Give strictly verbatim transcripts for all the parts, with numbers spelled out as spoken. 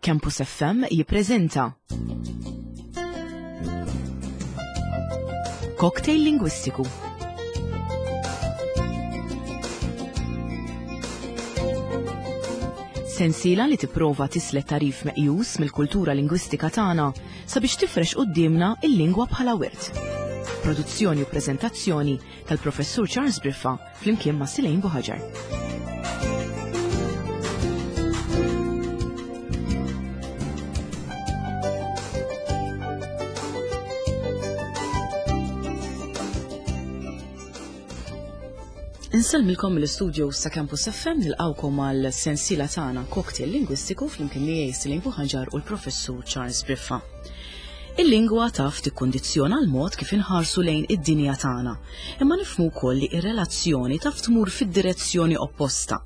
Campus F M jippreżenta Cocktail Lingwistiku. Sensiela li tipprova tislet tarif meqjus mill-kultura lingwistika tagħna sabiex tifrex quddiemna il-lingwa bħala wirt. Produzzjoni u preżentazzjoni tal-Professur Charles Briffa flimkien ma' Silejn Buħaġar. Insellmilkom mill-istudio sa' Campus F M, nilqawkom għal sensiela tagħna Cocktail Lingwistiku flimkien miegħi Silejn Buħaġar u l-Professur Charles Briffa. Il-lingwa taf tikkundizzjona l-mod kif inħarsu lejn id-dinja tagħna, imma nifhmu wkoll li r-relazzjoni taf tmur fid-direzzjoni opposta,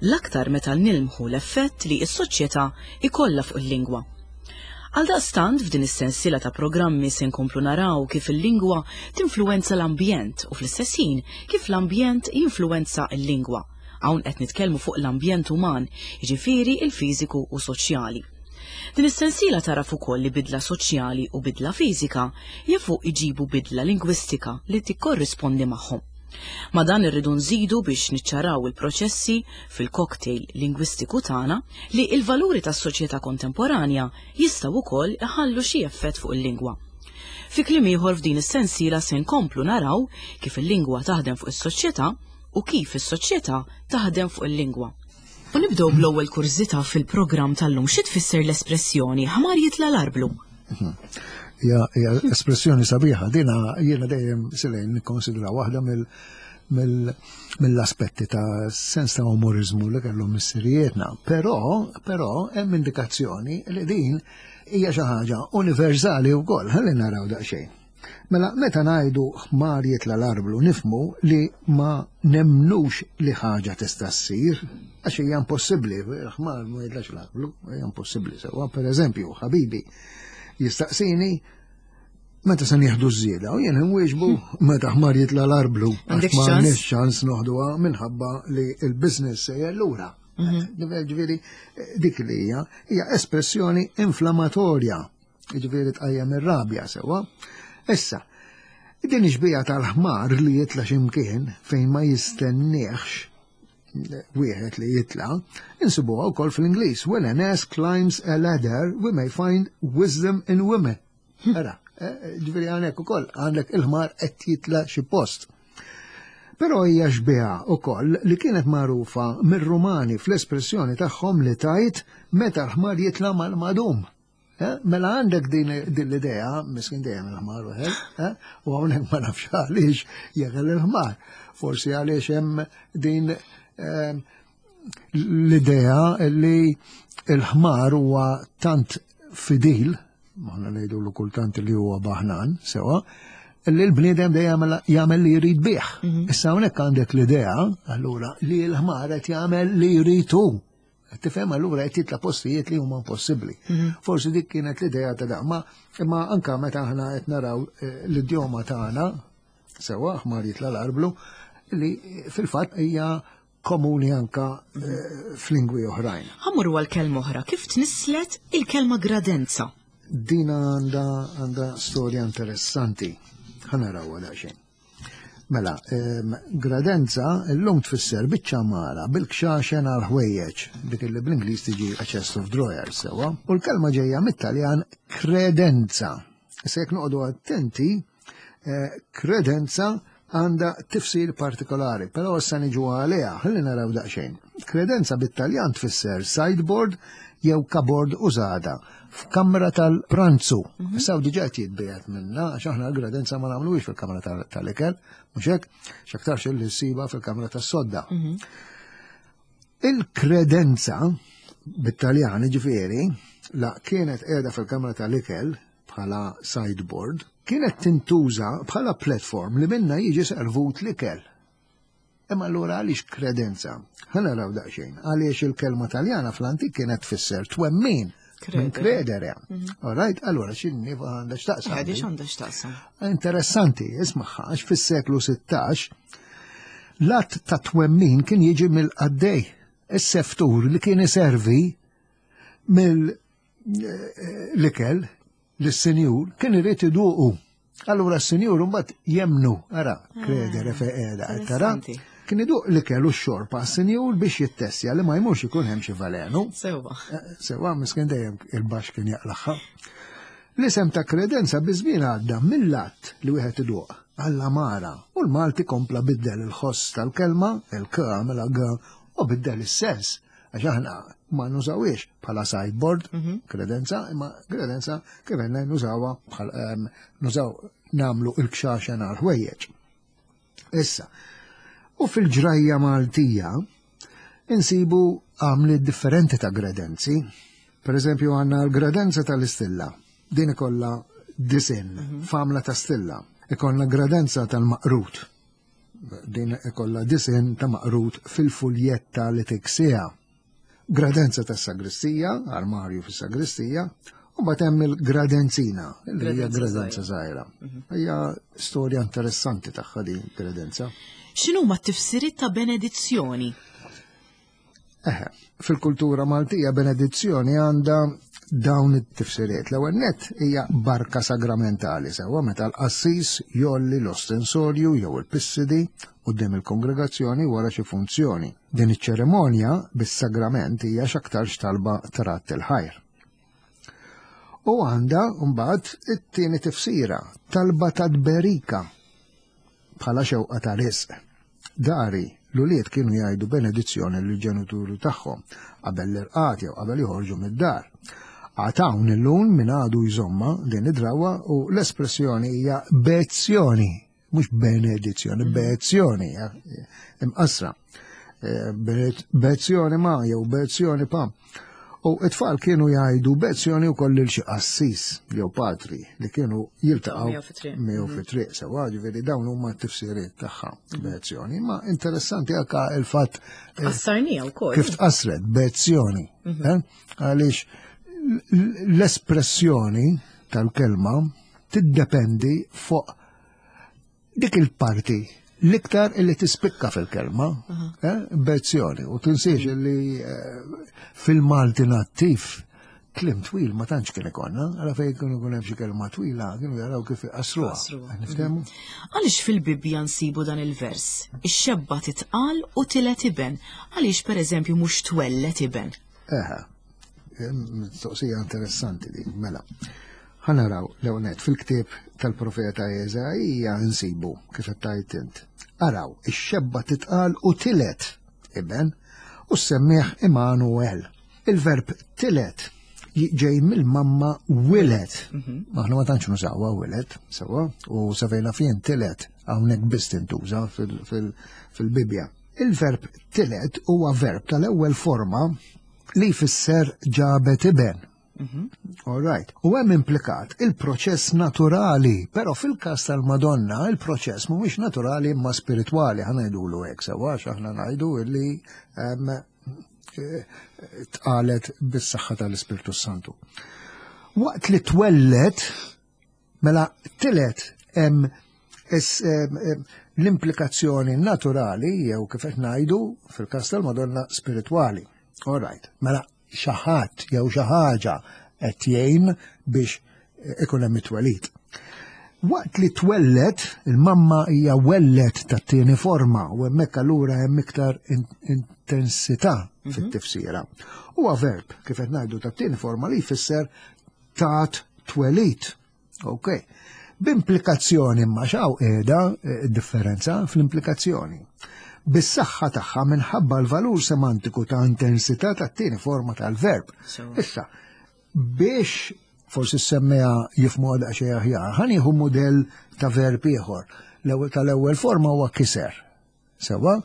l-aktar meta nilmħu l-effett li s-soċjetà ikollha fuq il-lingwa. Għaldaqstant f'din is-sensiela ta' programmi se nkomplu naraw kif il-lingwa tinfluwenza l-ambjent u fl-istess ħin kif l-ambjent jinfluwenza l-lingwa. Hawn qed nitkellmu fuq l-ambjent uman, jiġifieri il-fiżiku u soċjali. Din is-sensiela taraf ukoll li bidla soċjali u bidla fiżika jafu iġibu bidla lingwistika li tikkorrispondi magħhom. Ma dan irridu nżidu biex niċċaraw il-proċessi fil-cocktail lingwistiku tagħna li l-valuri tas-soċjetà kontemporanja jistgħu wkoll iħallu xi effett fuq il-lingwa. Fi kliem ieħor f'din is-sensiela se nkomplu naraw kif il-lingwa taħdem fuq is-soċjetà u kif is-soċjetà taħdem fuq il-lingwa. U nibdew bl-ewwel kurżità fil-programm tal-lum. Xi tfisser l-espressjoni ħmar jitla' l-arblu? Hija, hija espressjoni sabiħa, dina jiena dejjem Silejn nikkonsidra waħda mill-, mill-, mill-aspetti ta' sens ta' umorizmu li kellhom missirijietna. Però, però hemm indikazzjoni li din hija xi ħaġa universali wkoll, ħalli naraw daqsxejn. Mela, meta ngħidu ħmar jitla' l-arblu, nifhmu li ma nemnux li ħaġa tista' ssir, għax hija impossibbli, ħmar ma jitlax l-arblu, hija impossibbli sewwa. Per eżempju, ħabibi jistaqsini meta se nieħdu ż-żieda u jien inwieġbu meta ħmar jitla' l-arblu, għax Għandek ma ċans? għandniex ċans noħduha minħabba li l-business sejjer lura. Mhm. Ġifieri dik li hija, hija espressjoni inflammatorja, ġifieri tqajjem ir-rabja sewwa. Issa, din ix-xbieha tal-ħmar li jitla' x'imkien fejn ma jistenniex wieħed li jitla', insibuha wkoll fl-Ingliż. When an ass climbs a ladder, we may find wisdom in women. Ara, eh, ġifieri hawnhekk ukoll għandek il-ħmar qed jitla' xi post. Però hija xbieha wkoll li kienet magħrufa mir-Rumani fl-espressjoni tagħhom li tajt meta l-ħmar jitla' mal-madum. Eh, mela għandek din, din l-idea, miskin dejjem il-ħmar wieħed, eh, u hawnhekk ma nafx għaliex jeħel il-ħmar. Forsi għaliex hemm din, eh, l-idea li l-ħmar huwa tant fidil, maħna ngħidu kultant li huwa baħnan, sewa, li l-bniedem dejjem jagħmel li jrid bih. Mhm. Issa hawnhekk għandek l-idea, allura, li l-ħmar qed jagħmel li jrid hu. Tifhem, allura qed jitla' postijiet li huma impossibbli. Mhm. Forsi dik kienet l-idea ta' dan, ma, imma anka meta aħna qed naraw, eh, l-idjoma tagħna, sewa ħmar jitla' l-arblu, li fil-fatt hija komuni anka, eh, f'lingwi oħrajn. Ħammur għal kelma oħra, kif tnislet il-kelma gradenza? Dina għandha, għandha storja interessanti. Ħa narawha daqsxejn. Mela, ehm, gradenza llum tfisser biċċa mara bil-kxaxen għal ħwejjeġ, dik li bl-Ingliż tiġi a chest of drawers, sewwa. U l-kelma ġejja mit-Taljan credenza. Issa jekk noqogħdu attenti, eh, credenza għandha tifsir partikolari, però issa niġu għaliha, ħalli naraw daqsxejn. Credenza bit-Taljan tfisser sideboard jew cupboard użata f'kamra tal-pranzu. Mhm. Issa diġà qed jitbiegħed minna, għax aħna l-gradenza ma nagħmluhiex fil-kamra tal-, tal-ikel, mhux hekk, x'aktarx li ssiba fil-kamra tas-sodda. Mhm. Il-kredenza bit-Taljan ġifieri la kienet qiegħda fil-kamra tal-ikel bħala sideboard, kienet tintuża bħala platform li minna jiġi servut l-ikel. Imma allura għaliex kredenza? Ħa naraw daqsxejn. Għaliex il-kelma Taljana fl-antik kienet tfisser twemmin. Minn Credere. credere. Mhm. All right, allura x'inhi għandha x'taqsam? Għadix għandha x'taqsam. Interessanti, ismagħha, għax fis-seklu sittax l-att ta' twemmin kien jiġi mill-qaddej, is-seftur li kien iservi mill eh, l-ikel lis-sinjur kien irid iduqu. Allura s-sinjur mbagħad jemnu, ara, credere fe qiegħda, qed tara. Interessanti. Kien iduq l-ikel u x-xorb għas-sinjur biex jittessja li ma jmurx ikun hemm xi valenu. Sewwa. Eh, Sewwa, miskin dejjem il-baxx kien jaqlagħha. L-isem ta' kredenza biż-żmien għadda mill-att li wieħed iduq għall-għamara u l-Malti kompla biddel il-ħoss tal-kelma, il-k għamela g, u biddel is-sens. Għax aħna ma nużawiex bħala sideboard, kredenza, imma kredenza kif għedna nużawha bħal em, nużaw nagħmlu il-kxaxen għal ħwejjeġ. Issa, u fil-ġrajja Maltija insibu għamli differenti ta' gredenzi. Per eżempju għandna l-gredenza tal-istilla. Din ikolla disinn, famla ta' stilla. Ikollna gredenza tal-maqrut. Din ikolla disinn ta' maqrut fil-fuljetta li tiksiha. Gradenza tas-sagristija, armarju fis-sagristija, u mbagħad hemm il-gradenzina, li hija Gradenza gradenza żgħira. Hija storja interessanti tagħha din gredenza. X'inhuma t-tifsiriet ta' benedizzjoni? Eħe, fil-kultura Maltija benedizzjoni għandha dawn it-tifsiriet. L-ewwel nett hija barka sagramentali sewwa meta l-qassis jgħolli l-ostensorju jew il-pissidi quddiem il-kongregazzjoni wara xi funzjoni. Din iċ-ċerimonja bis-sagrament hija x'aktarx talba ta' radd il-ħajr. U għandha mbagħad it-tieni tifsira, talba ta' tberika bħala xewqa ta' risq. Dari, l-ulied kienu jgħidu benedizzjoni lill-ġenituri tagħhom qabel l-irqad jew qabel joħorġu mid-dar. Għad hawn illum min għadu jżommha din id-drawa u l-espressjoni hija bezzjoni, mhux benedizzjoni, bezzjoni, imqasra. Eh, Bezzjoni ma jew bezzjoni pa. U it-tfal kienu jgħidu bezzjoni wkoll lil xi qassis jew patri li kienu jiltaqgħu Miegħu fit-triq. miegħu fit-triq sewwa, ġifieri dawn huma t-tifsiriet tagħha bezzjoni. Ma interessanti anka il-fatt eh, Qassarnija wkoll. kif tqasret bezzjoni. eh? Għaliex l- l-espressjoni tal-kelma tiddependi fuq dik il-parti l-iktar illi tispikka fil-kelma, eh, bezzjoni, u tinsiex illi eh, fil-Malti nattiv kliem twil ma tantx kien ikollna, għala fejn kienu jkun hemm xi kelma twila, kienu jaraw kif iqasruha. Iqassruha. Niftehmu? Għaliex fil-Bibbja nsibu dan il-vers? Ix-xebba titqal u tiled iben. Għaliex pereżempju mhux twellet iben? Eħe, mistoqsija interessanti din, mela. Ħa naraw l-ewwel fil-ktieb tal-profeta Eżaija nsibu kif qed tgħid int. Araw, ix-xebba titqal u tiled iben u semmih Immanuel. Il-verb tiled ġej mill-mamma wilet. Aħna ma tantx nużawha wilet, sewwa, u sa fejn naf jien tiled hawnhekk biss tintuża fil- fil- fil-Bibbja. Il-verb tiled huwa verb tal-ewwel forma li jfisser ġabet iben. All right. U hemm implikat il-proċess naturali, però fil-każ tal-Madonna il-proċess mhuwiex naturali imma spiritwali, ħa ngħidulu hekk sewwa għax aħna ngħidu illi em, eh, tqalet bis-saħħa tal-Ispirtu Santu. Waqt li twellet, mela tiled hemm es- em, em, l-implikazzjoni naturali jew kif qed ngħidu fil-każ tal-Madonna spiritwali. All right. Mela xi ħadd jew xi ħaġa qed jgħin biex ikun hemm it-twelid. Waqt li twellet, il-mamma hija wellet tat-tieni forma u hemmhekk allura hemm iktar in- intensità fit-tifsira. Huwa verb kif qed ngħidu tat-tieni forma li jfisser tat twelid. Ok. B'implikazzjoni imma x'hawn qiegħda eh, differenza fl-implikazzjoni. Bis-saħħa tagħha minħabba l-valur semantiku ta' intensità tat-tieni forma tal-verb. Sewwa. Issa, biex forsi s-semmiegħa jifhmu daqsxejn aħjar, ħa nieħu modell ta' verb ieħor. L-ewwel tal-ewwel forma huwa kiser. Sewwa,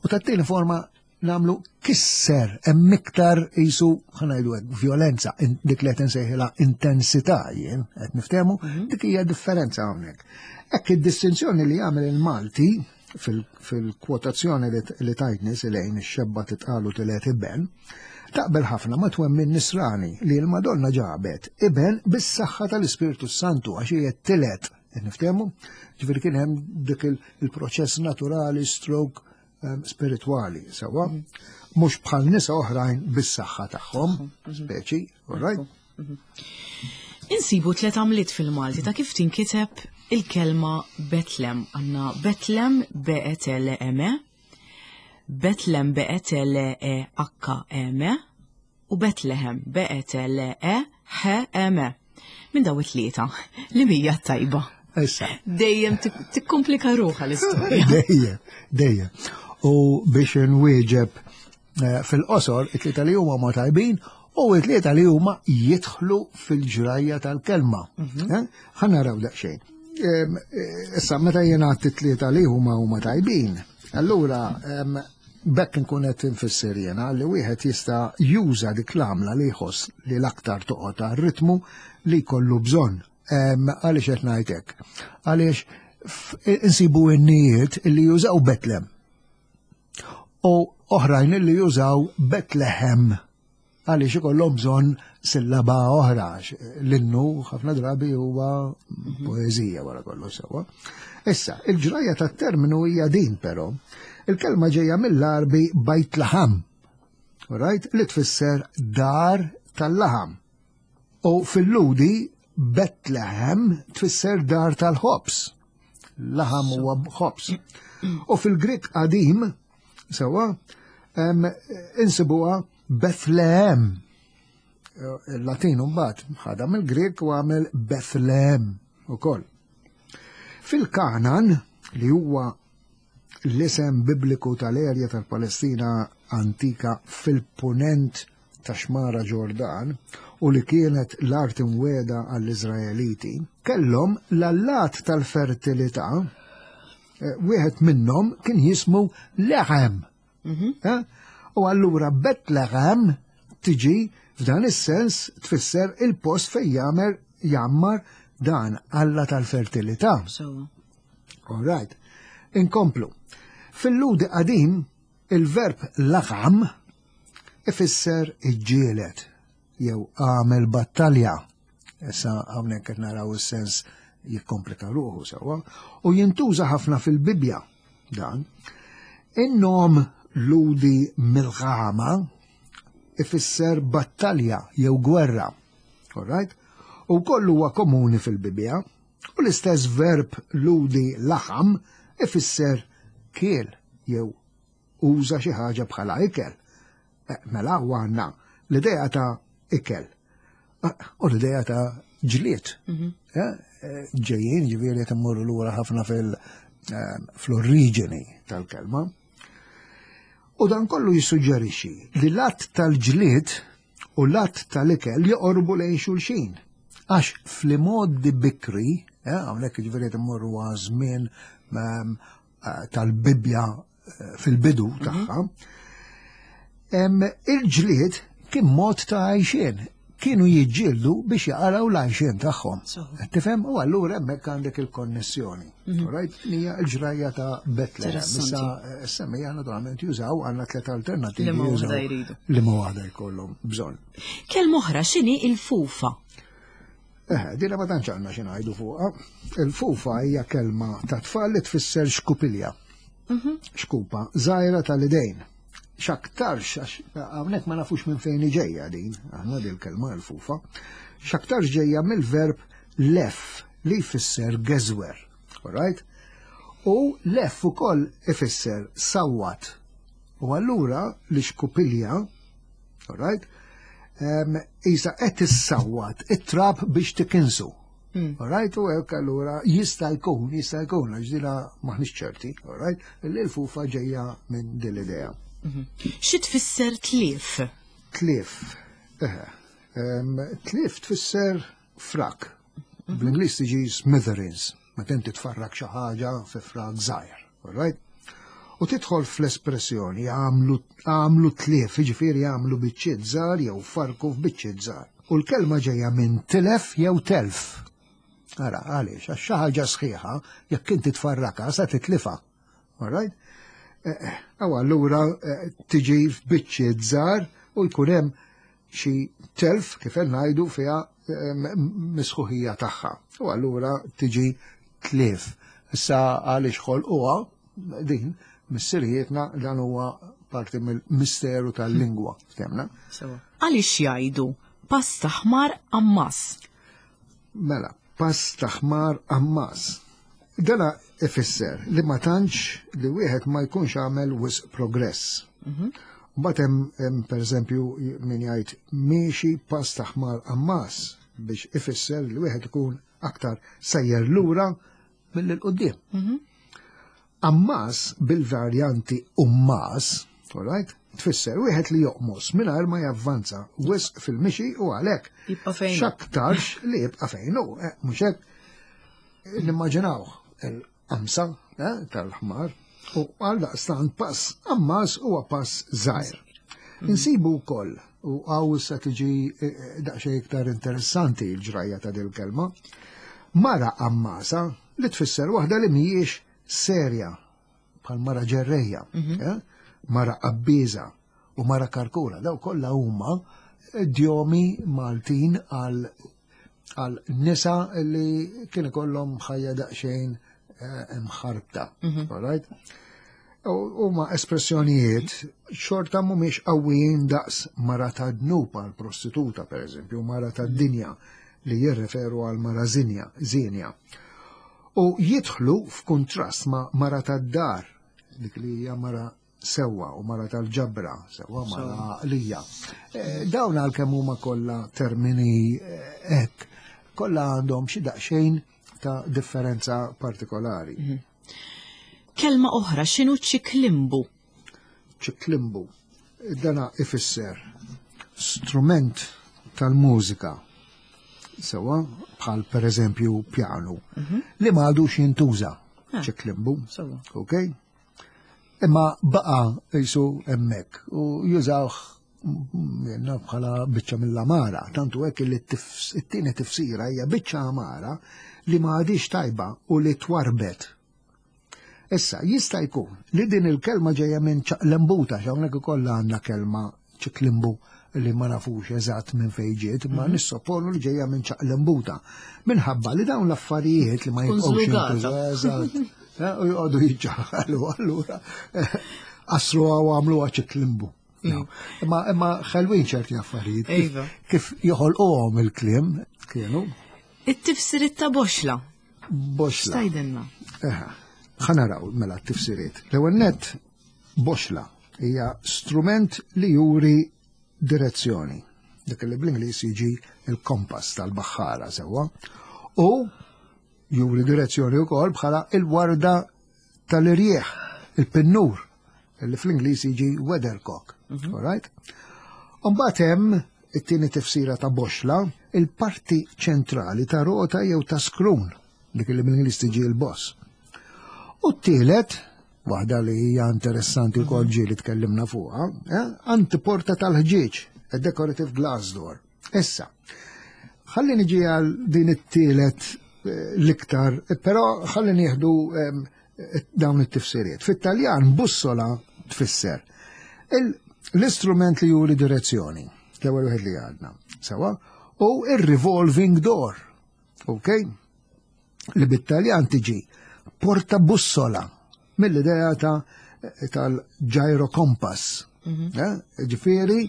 u tat-tieni forma nagħmlu kisser, hemm iktar qisu ħa ngħidu hekk violenza, in- dik li qed insejħilha intensità jien, qed niftehmu, dik hija differenza hawnhekk. Hekk id-distinzjoni li jagħmel il-Malti fil- fil-kwotazzjoni li li tajtni lejn ix-xebba titqal u tiled iben, taqbel ħafna ma twemmin nisrani li l-Madonna ġabet iben bis-saħħa tal-Ispirtu Santu għax hija tiled. Qed Niftehmu? Ġifieri kien hemm dik il- il-proċess naturali stroke um, spiritwali, sewwa? Mhux bħal nisa oħrajn bis-saħħa tagħhom, speċi, all right? Insibu tliet għamliet fil-Malti ta' kif tinkiteb il-kelma Betlem. Għandna Betlem B E T L E M, Betlem B E T L E H M u Betlehem B E T L E H M. Minn daw it-tlieta, li hija tajba? Issa. Dejjem tikkomplika ruħha l-istorja. Dejjem, dejjem. U biex nwieġeb eh, fil-qosor, it-tlieta li huma ma tajbin u it-tlieta li huma jidħlu fil-ġrajja tal-kelma. Eh? Ħa naraw daqsxejn. Em, eh, Issa, meta jiena it-tlieta li huma huma tajbin, allura em, bekk nkun qed infisser jiena li wieħed jista' juża dik l-għamla li jħoss li l-aktar toqgħod għar-ritmu li jkollu bżonn. Em, Għaliex qed ngħidlek? Għaliex f- insibu innijiet li jużaw Betlem u oħrajn li jużaw Betlehem għaliex ikollhom bżonn sillaba oħra. Għax l-innu ħafna drabi huwa poeżija wara kollox sewwa. Issa, il-ġrajja tat-terminu hija din però. Il-kelma ġejja mill-Arbi Bajt Laħam, right? Li tfisser dar tal-laħam. U fil-Lhudi Betlehem tfisser dar tal-ħobż. Laħam huwa ħobż. U fil-Grik qadim, sewwa, em, insibuha Bethlehem. Il-Latin mbagħad ħadha mill-Grik u għamel Bethlehem ukoll. Fil-Kanan, li huwa l-isem bibliku tal-erja tal-Palestina antika fil-punent ta' xmara Ġordan u li kienet l-art imwiegħda għall-Izraeliti, kellhom l-allat tal-fertilità, eh, wieħed minnhom kien jismu Lehem. Eh? U allura Betlehem tiġi f'dan is-sens tfisser il-post fejn jagħmel jammar dan Alla tal-fertilità. So, All right. Inkomplu. Fil-Lhudi qadim, il-verb laħam ifisser iġġielet jew għamel battalja. Issa hawnhekk qed naraw is-sens jikkomplika ruħu sewwa u jintuża ħafna fil-Bibja dan. In-nom Lhudi Milħama ifisser battalja jew gwerra. All right? U kollu huwa komuni fil-Bibja. U l-istess verb Lhudi laħam ifisser kiel jew uża xi ħaġa bħala ikel. Eh, Mela u għandna l-idea ta' ikel Eh, u l-idea ta' ġlied. Eh, eh, Ġejjin ġifieri qed immorru lura ħafna fil- eh, fl-oriġini tal-kelma. U dan kollu jissuġġerixxi li l-att tal-ġlied u l-att tal-ikel joqorbu lejn xulxin. Għax fl-modi bikri, eh, hawnhekk ġifieri qed immorru għaż-żmien ehm, eh, tal-Bibja eh, fil-bidu tagħha, em, il-ġlied kien mod ta' għajxien. Kienu jiġġieldu biex jaqalgħu l-għajxien tagħhom. So. Tifhem? U allura hemmhekk għandek il-konnessjoni. Right? Hija l-ġrajja ta' Bethlehem. Interessanti. Issa eh, semmija naturalment jużaw għandna tliet alternativi. Li ma jużaw waħda jridu. Li ma waħda jkollhom bżonn. Kelma oħra x'inhi il-fufa? Eh, dina ma tantx għandna xi ngħidu fuqha. Il-fufa hija kelma ta' tfal li tfisser xkupilja. Xkupa, żgħira tal-idejn. X'aktarx, għax hawnhekk ma nafux minn fejn ġejja din, aħna din il-kelma l-fufa. X'aktarx ġejja mill-verb lef li jfisser geżwer. Alright? U lef ukoll ifisser sawwat. U allura l-xkupilja, alright, um, isa qed issawwat it-trab biex tikinsu. Alright, u hekk allura jista' jkun, jista' jkun, għax dina maħniex ċerti, alright, li l-fufa ġejja minn din l-idea. Xi tfisser tlief? Tlief. Eh, em, tlief tfisser frak. Bl-Ingliż tiġi smithereens, meta inti tfarrak xi ħaġa fi frak żgħir, alright? U tidħol fl-espressjoni għamlu għamlu tlief, jiġifieri għamlu biċċiet żgħar jew farku f'biċċiet żgħar. U l-kelma ġejja minn tilef jew telf. Ara, għaliex, għax xi ħaġa sħiħa, jekk inti tfarraka sa titlifa. Alright? Aw allura eh, tiġi f'biċċiet żgħar u jkun hemm xi telf kif qed ngħidu fiha eh, misħuħija tagħha. U allura tiġi tlief. Issa għaliex ħolquha din missirijietna dan huwa parti mill-misteru tal-lingwa, ftemna. Għaliex jgħidu Pass ta' ħmar ammas. Mela, pass ta' ħmar ammas. Dana ifisser li ma tantx li wieħed ma jkunx għamel wisq progress. Mbagħad hemm hemm pereżempju min jgħid miexi pass ta' ħmar ammas biex ifisser li wieħed ikun aktar sejjer lura milli 'l quddiem. Ammas bil-varjanti ummas, all right, tfisser wieħed li joqmos mingħajr ma javvanza wisq fil-mixi u għalhekk Jibqa' fejn hu. x'aktarx li jibqa' fejn hu, eh, mhux hekk nimmaġinaw il-qamsa eh, tal-ħmar u għal daqstant pass ammas huwa pass żgħir. Insibu wkoll u hawn issa tiġi eh, daqsxejn iktar interessanti l-ġrajja ta' dil-kelma. Mara ammasa li tfisser waħda li mhijiex serja bħal mara ġerreja, eh? Mara qabbiża u mara karkura, daw kollha huma idjomi Maltin għal għal nisa li kien ikollhom ħajja daqsxejn eh, imħarbta. All right? U huma espressjonijiet xorta mhumiex qawwijin daqs mara ta' dnub għal prostituta, per eżempju, mara ta' dinja li jirreferu għal mara zinja, zinja. U jidħlu f'kuntrast ma' mara ta' dar, dik li hija mara sewwa u mara tal-ġabra, sewwa mara għaqlija. Eh, Dawn għalkemm huma kollha termini eh, hekk, kollha għandhom xi daqsxejn ta' differenza partikolari. Kelma oħra, x'inhu ċiklimbu? Ċiklimbu. Dana ifisser strument tal-mużika, sewwa bħal per eżempju pjanu, li ma għadux jintuża Ah. ċiklimbu. Sewwa. Ok? Imma baqa jisu hemmhekk u jużawh jenna bħala biċċa mill-amara, tantu hekk li t-tifs- it-tieni tifsira hija biċċa amara li ma għadix tajba u li twarbet. Issa, jista' jkun li din il-kelma ġejja minn ċaqlembuta, x'hawnhekk ukoll għandna kelma ċiklimbu li ma nafux eżatt minn fejn ġiet, ma nissoponu li ġejja minn ċaqlembuta. Minħabba li dawn l-affarijiet li ma Tkun jibqgħux żlugata. jintużaw, eżatt. Eh, u joqogħdu jiġġaħalu allura eh, qasru u għamluha ċiklimbu. No. Imma imma ħelwin ċerti affarijiet. Kif- Iva. Kif joħolquhom il-kliem kienu It-tifsiriet ta' boxla. boxla. X'tgħidilna? Eħa, ħa naraw mela t-tifsiriet. L-ewwel nett boxla hija strument li juri direzzjoni. Dik li bl-Ingliż jiġi il-kompass tal-baħħara sewwa. U juri direzzjoni wkoll bħala il-warda tal-irjieħ, il-pinnur, li fl-Ingliż jiġi weathercock. All right? Mbagħad hemm it-tieni tifsira ta' boxla, il-parti ċentrali ta' rota jew ta' skrun, dik li bl-Ingliż tiġi l-boss. U t-tielet, waħda li hija interessanti wkoll ġieli tkellimna fuqha, eh, antiporta tal-ħġieġ, a decorative glass door. Issa, ħalli niġi għal din it-tielet eh, l-iktar, però ħalli nieħdu em, eh, dawn it-tifsiriet. Fit-Taljan bussola tfisser il- l-istrument li juri direzzjoni, l-ewwel wieħed li għadna, sewwa, u il-revolving door, ok? Li bit-Taljan tiġi porta bussola mill-idea ta' tal-gyrocompass. Eh, Ġifieri,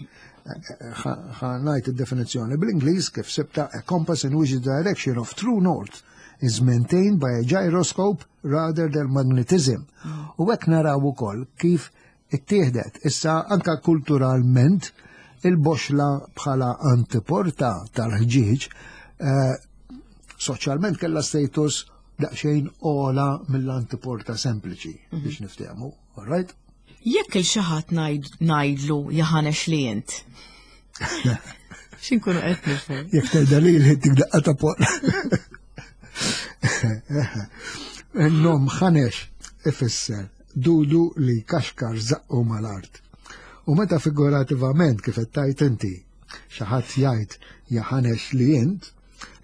ħa ngħid id-definizzjoni bl-Ingliż kif sibta a compass in which the direction of true north is maintained by a gyroscope rather than magnetism. U hekk naraw ukoll kif ittieħdet. Issa anka kulturalment il-boxla bħala antiporta tal-ħġieġ eh, soċjalment kella status daqsxejn ogħla mill-antiporta sempliċi biex niftehmu, all right? Jekk lil xi ħadd ngħidlu jaħanex li int. X'inkunu qed nifhmu? Jekk tgħidha li dik daqqa ta' por. Nom ħanex ifisser dudu li kaxkar zaqqu mal-art. U meta figurativament kif qed tgħid inti xi ħadd jgħid jaħanex li int,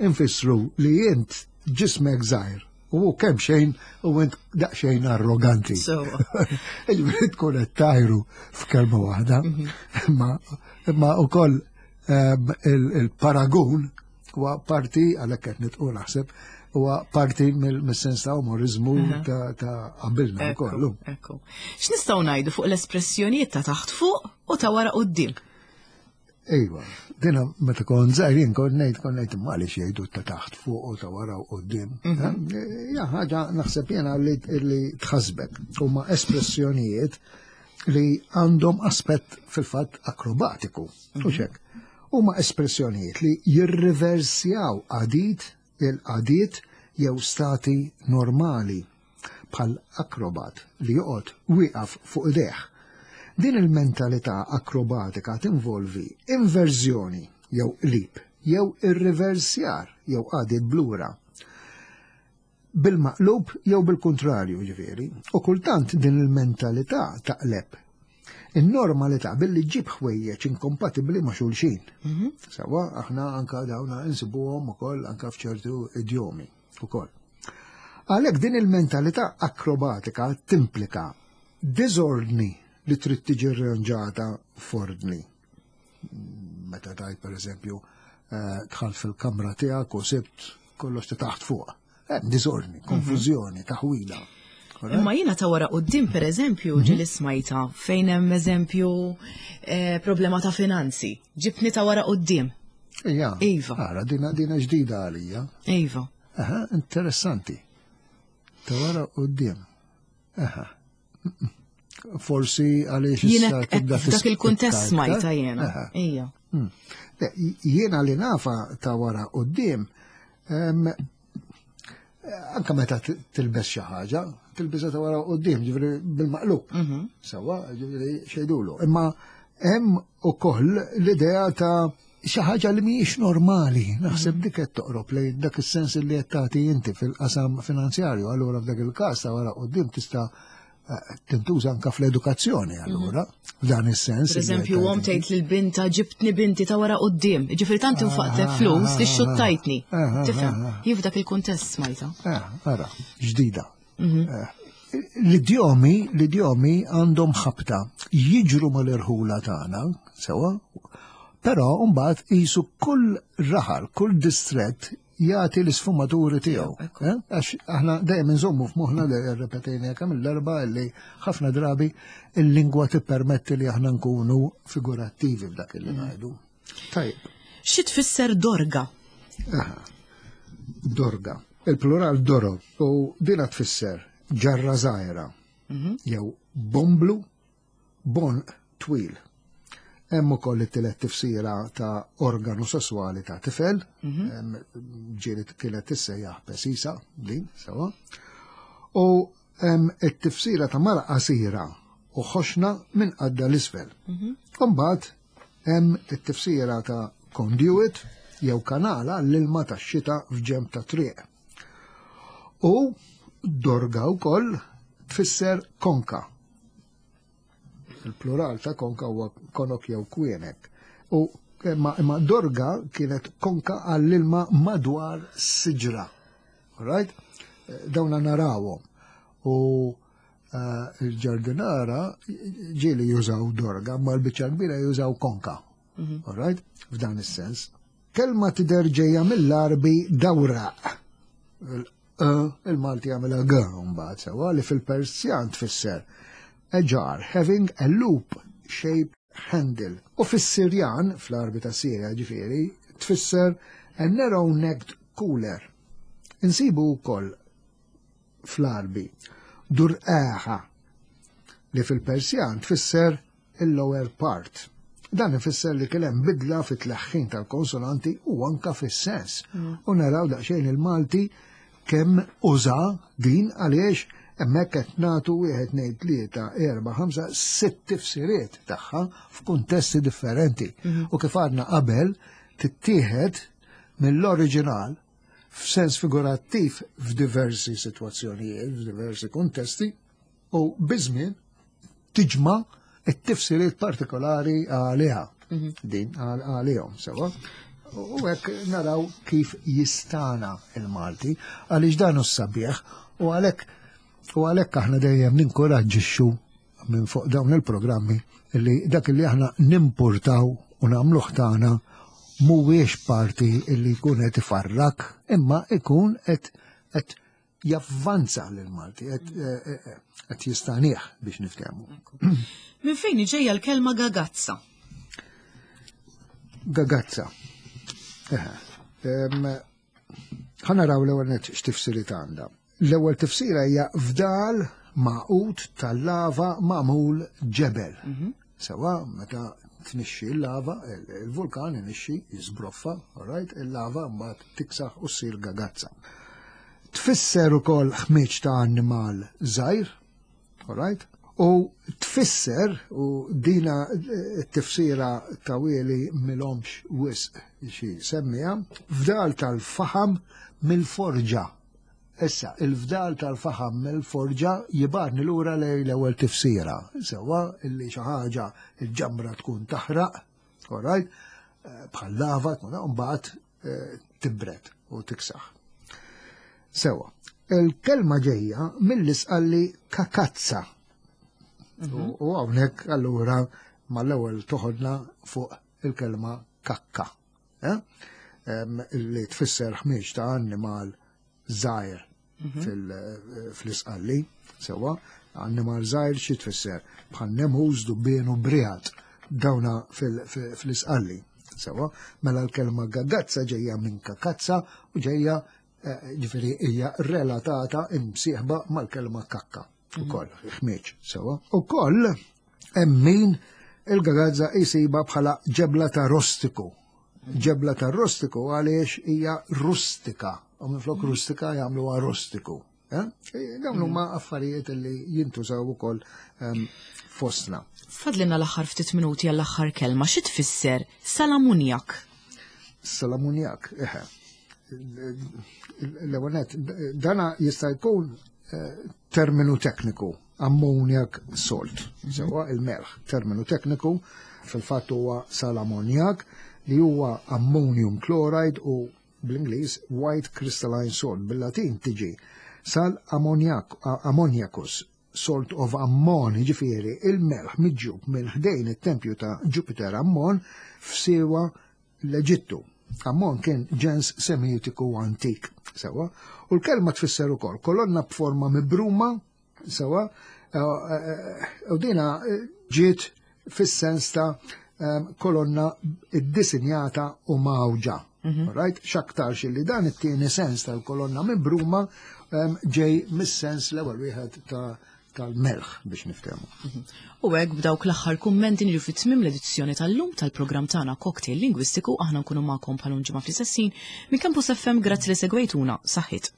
infissru li int ġismek żgħir u kemm xejn u int daqsxejn arroganti. Sewwa. Ġifieri tkun qed tajru f'kelma waħda, imma imma wkoll ehm, il- il-paragun huwa parti għalhekk qed nitqu naħseb huwa parti mill- mis-sens ta' umorizmu ta' ta' qabilna wkoll. Ekku, ekku. X'nistgħu ngħidu fuq l-espressjonijiet ta' taħt fuq u ta' wara quddiem? Ejwa, dina meta kont żgħir jien kont ngħid kont ngħid imma għaliex jgħidu ta' taħt fuq u ta' wara u quddiem. Hija ħaġa naħseb jiena li li tħasbek. Huma espressjonijiet li għandhom aspett fil-fatt akrobatiku. U xek. Huma espressjonijiet li jirriversjaw għadit il-qagħdiet jew stati normali bħal akrobat li joqgħod wieqaf fuq idejh. Din il-mentalità akrobatika tinvolvi inverżjoni jew qlib jew irriversjar jew qagħdiet b'lura. Bil-maqlub jew bil-kontrarju ġifieri. U kultant din il-mentalità taqleb in-normalità billi ġib ħwejjeġ inkompatibbli ma' xulxin. Sewwa, aħna anka dawna insibuhom ukoll anka f'ċertu idjomi ukoll. Għalhekk din il-mentalità akrobatika timplika diżordni li trid tiġi rranġata f'ordni. Meta tajt per eżempju eh, dħalt fil-kamra tiegħek u sibt kollox ta' taħt fuq. Hemm diżordni, konfużjoni, taħwila. Imma jiena ta' wara quddiem per eżempju ġieli smajta fejn hemm eżempju eh, problema ta' finanzi. Ġibni ta' wara quddiem. Ija. Iva. Ara, dina, dina ġdida għalija. Iva. Aha, interessanti. Ta' wara quddiem. Aha. Forsi għaliex Jiena issa tibda f'dak il-kuntest tispiċċa smajta iktar. jiena. Aha. Ija. Mm. Le, Jiena li nafa ta' wara quddiem, em, anka meta t- tilbes xi ħaġa, tilbisha ta' wara quddiem, ġifieri bil-maqlub. Sewwa, ġifieri xejdulu. Imma hemm ukoll l-idea ta' xi ħaġa li mhijiex normali. Naħseb dik qed toqrob lejn dak is-sens li qed tagħti inti fil-qasam finanzjarju. Allura f'dak il-każ ta' wara quddiem tista' eh, tintuża anka fl-edukazzjoni allura, f'dan is-sens. Per li qed eżempju, omm tagħti inti. tgħid lil binta ġibtni binti ta' wara quddiem. Ġifieri tant infaqtlek flus li xxuttajtni. Ah, ah, Tifhem? ah, ah. Jien f'dak il-kuntest smajta. Ah, ara, ġdida. Eh, L-idjomi, l-idjomi għandhom ħabta jiġru mal-irħula tagħna, sewwa, però mbagħad qisu kull raħal, kull distret jagħti l-isfumaturi tiegħu. Ekku. Eh? Għax aħna dejjem inżommu f'moħħna li rrepetejna kemm il-darba li ħafna drabi il-lingwa tippermetti li aħna nkunu figurattivi f'dak li ngħidu. Tajjeb. Xi tfisser dorga? Aha. Dorga. Il-plural doro u dina tfisser ġarra żgħira jew bomblu bon twil. Hemm ukoll it-tielet tifsira ta' organu sesswali ta' tifel, hemm ġieli kienet tissejjaħ pesisa din sewwa. U hemm it-tifsira ta' mara qasira u ħoxna minn qaddha 'l isfel. Imbagħad hemm it-tifsira ta' conduit jew kanala l-ilma tax-xita f'ġenb ta' triq. U dorga wkoll tfisser konka. Il-plural ta' konka huwa konok jew kwienek. U imma, imma dorga kienet konka għall-ilma madwar siġra. Alright? Dawna narawhom. U eh, il-ġardinara ġieli jużaw dorga, ma l-biċċa kbira jużaw konka. Alright? F'dan is-sens. Kelma tidher ġejja mill-Arbi dawraq. Il-Malti għamilha g mbagħad sewwa li fil-Persjan tfisser a jar having a loop shaped handle. U fis-Sirjan, fl-Arbi ta' Sirja ġifieri, tfisser a narrow necked cooler. Insibu wkoll fl-Arbi durqaħa li fil-Persjan tfisser il-lower part. Dan ifisser li kien hemm bidla fit-tleħħin tal-konsonanti u anka fis-sens. U naraw daqsxejn il-Malti kemm uża din għaliex hemmhekk qed nagħtu wieħed tnejn tlieta erba' ħamsa sitt tifsiriet tagħha f'kuntesti differenti. U kif għadna qabel tittieħed mill-oriġinal f'sens figurattiv f'diversi sitwazzjonijiet, f'diversi kuntesti, u biż-żmien tiġma' it-tifsiriet partikolari għaliha. Din għal- għalihom, sewwa. U hekk naraw kif jistana il-Malti, għaliex dan hu sabiħ u għalhekk u għalhekk aħna dejjem ninkoraġġixxu minn fuq dawn il-programmi li dak li aħna nimpurtaw u nagħmluh tagħna mhuwiex parti li jkun qed ifarrak, imma ikun qed qed javvanza lil Malti, qed eh, eh, qed jistanih biex niftehmu. Minn fejn ġejja l-kelma gagazza? Gagazza. Ħa naraw l-ewwel nett x'tifsiriet għandha. L-ewwel tifsira hija fdal magħqud tal-lava magħmul ġebel. Mhm. Sewa, meta tnixxi l-lava, il-vulkan inixxi, jiżbroffa, right, il-lava mbagħad tiksaħ u ssir gagazza. Tfisser ukoll ħmieġ ta' annimal żgħir, right? U tfisser, u dina t-tifsira ta' wieli m'ilhomx wisq xi semmija, fdal tal-faħam mill-forġa. Issa, il-fdal tal-faħam mill-forġa jibgħatni lura lejn l-ewwel tifsira. Sewa, illi xi ħaġa il-ġamra tkun taħraq, all right, bħal lava tkun mbagħad eh, tibret u tiksaħ. Sewa, il-kelma ġejja mill-Isqalli kakazza. Mhm. U hawnhekk allura mal-ewwel toħodna fuq il-kelma kakka. Eh? Li tfisser ħmieġ ta' annimal żgħir mhm. fl-Isqalli, sewa, annimal żgħir xi tfisser bħal nemus, dubbien u briegħad dawna fl-Isqalli. Sewa, mela l-kelma gagazza ġejja minn kakazza u ġejja eh, ġifieri hija relatata imsieħba mal-kelma kakka. Ukoll, ħmieġ, sewa. Ukoll, hemm min il-gagazza jisiba bħala ġebla ta' rostiku. Ġebla ta' rostiku għaliex hija rustika. U minflok rustika jagħmluha rostiku. Eh? Dawn huma affarijiet li jintużaw ukoll ehm, fostna. Fadlilna l-aħħar ftit minuti għall-aħħar kelma, xi tfisser salamunjak? Salamunjak, eħe. L-ewwel dana jista' jkun eh, terminu tekniku, ammoniak salt, mhm. sewa il-melħ, terminu tekniku, fil-fatt huwa salamonjak li huwa ammonium chloride u bl-Ingliż white crystalline salt, bil-Latin tiġi sal ammoniak, ammoniacus, salt of Ammon, ġifieri il-melħ miġjub minn ħdejn it-tempju ta' Jupiter Ammon f'Siwa l-Eġittu. Ammon kien ġens semitiku antik, sewa, u l-kelma tfisser ukoll kolonna b'forma mibruma, sewa, eh, eh, u dina ġiet fis-sens ta' eh, kolonna iddisinjata u mgħawġa. Mhm. Right? X'aktarx li dan it-tieni sens tal-kolonna mibruma ġej mis-sens l-ewwel wieħed ta' tal-melħ biex niftehmu. Mhm. U hekk b'dawk l-aħħar kummenti niġu fi tmiem l-edizzjoni tal-lum tal-programm tagħna Cocktail Lingwistiku aħna nkunu magħkom bħal ġimgħa fl-istess ħin minn Campus FM grazzi li segwejtuna saħħit.